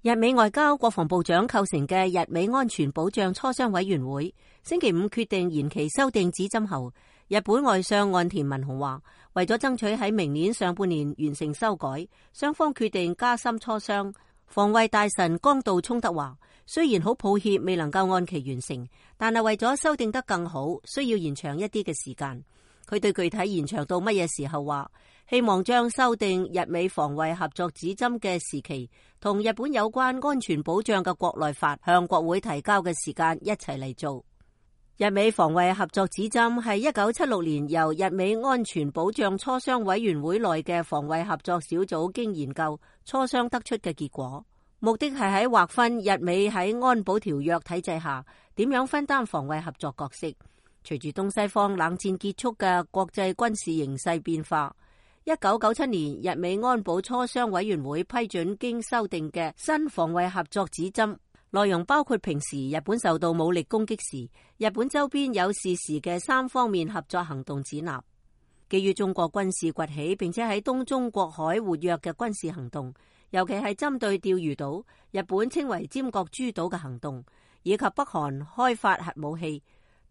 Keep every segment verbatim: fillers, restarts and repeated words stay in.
日美外交國防部長構成嘅日美安全保障磋商委員會星期五決定延期修訂指針後，日本外相岸田文雄話，為咗爭取喺明年上半年完成修改，雙方決定加深磋商。防衛大臣江道聰德話，雖然好抱歉未能夠按期完成，但係為咗修訂得更好，需要延長一啲嘅時間。佢對具體延長到乜嘢時候話，希望將修訂日美防衛合作指針嘅時期同日本有關安全保障嘅國內法向國會提交嘅時間一齊嚟做。日美防衛合作指針係一九七六年由日美安全保障磋商委員會內嘅防衛合作小組經研究磋商得出嘅結果，目的係喺劃分日美喺安保條約體制下點樣分擔防衛合作角色。隨住東西方冷戰結束嘅國際軍事形勢變化，一九九七年日美安保磋商委員會批准經修訂嘅新防衛合作指針，內容包括平時日本受到武力攻擊時，日本周邊有事時嘅三方面合作行動指南。基於中國軍事崛起並且喺東中國海活躍嘅軍事行動，尤其係針對釣魚島，日本稱為尖閣諸島嘅行動，以及北韓開發核武器、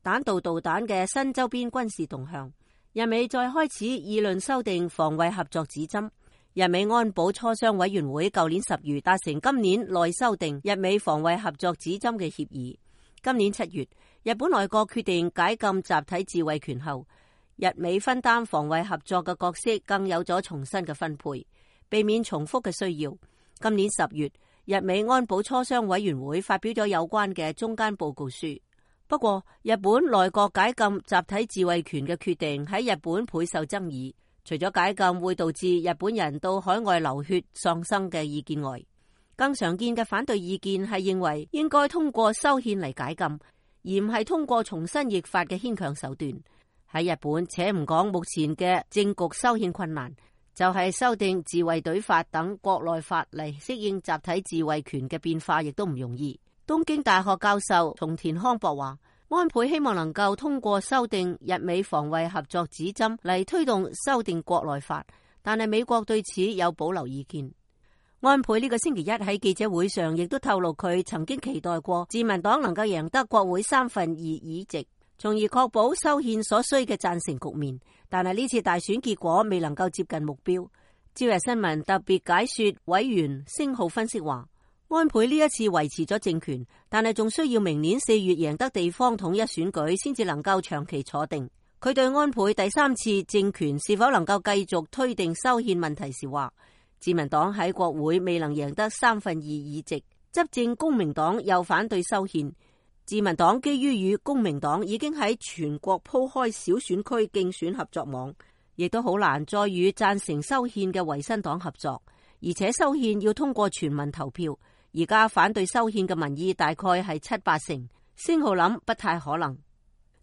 彈道導彈嘅新周邊軍事動向，日美再開始議論修訂防衛合作指針。日美安保磋商委員會舊年十月達成今年內修訂日美防衛合作指針嘅協議。今年七月，日本內閣決定解禁集體自衛權後，日美分擔防衛合作嘅角色更有咗重新嘅分配，避免重複嘅需要。今年十月，日美安保磋商委員會發表咗有關嘅中間報告書。不過，日本內閣解禁集體自衛權嘅決定喺日本倍受爭議。除咗解禁會導致日本人到海外流血喪生嘅意見外，更常見嘅反對意見係認為應該通過修憲嚟解禁，而唔係通過重新譯法嘅牽強手段。喺日本，且唔講目前嘅政局修憲困難，就係修訂自衛隊法等國內法嚟適應集體自衛權嘅變化，亦都唔容易。東京大學教授松田康博話，安倍希望能夠通過修訂日美防衛合作指針嚟推動修訂國內法，但係美國對此有保留意見。安倍呢個星期一喺記者會上亦都透露，佢曾經期待過自民黨能夠贏得國會三分二議席，從而確保修憲所需嘅贊成局面。但係呢次大選結果未能夠接近目標。朝日新聞特別解說委員星浩分析話，安倍呢一次維持咗政權，但係仲需要明年四月贏得地方統一選舉先至能夠長期坐定。佢對安倍第三次政權是否能夠繼續推定修憲問題時話，自民黨喺國會未能贏得三分二議席，執政公明黨又反對修憲，自民黨基於與公明黨已經喺全國鋪開小選區競選合作網，亦都好難再與贊成修憲嘅維新黨合作，而且修憲要通過全民投票。而家反對修憲嘅民意大概係七八成，星浩諗不太可能。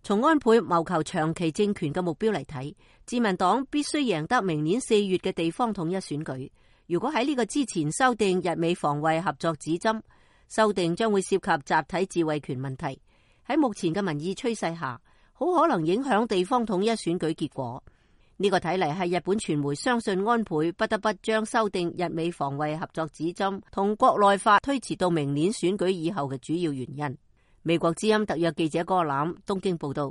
從安倍謀求長期政權嘅目標嚟睇，自民黨必須贏得明年四月嘅地方統一選舉。如果喺呢個之前修訂日美防衛合作指針，修訂將會涉及集體自衛權問題。喺目前嘅民意趨勢下，好可能影響地方統一選舉結果。呢個睇嚟係日本傳媒相信安倍不得不將修訂日美防衛合作指針同國內法推遲到明年選舉以後嘅主要原因。美國之音特約記者郭欖東京報道。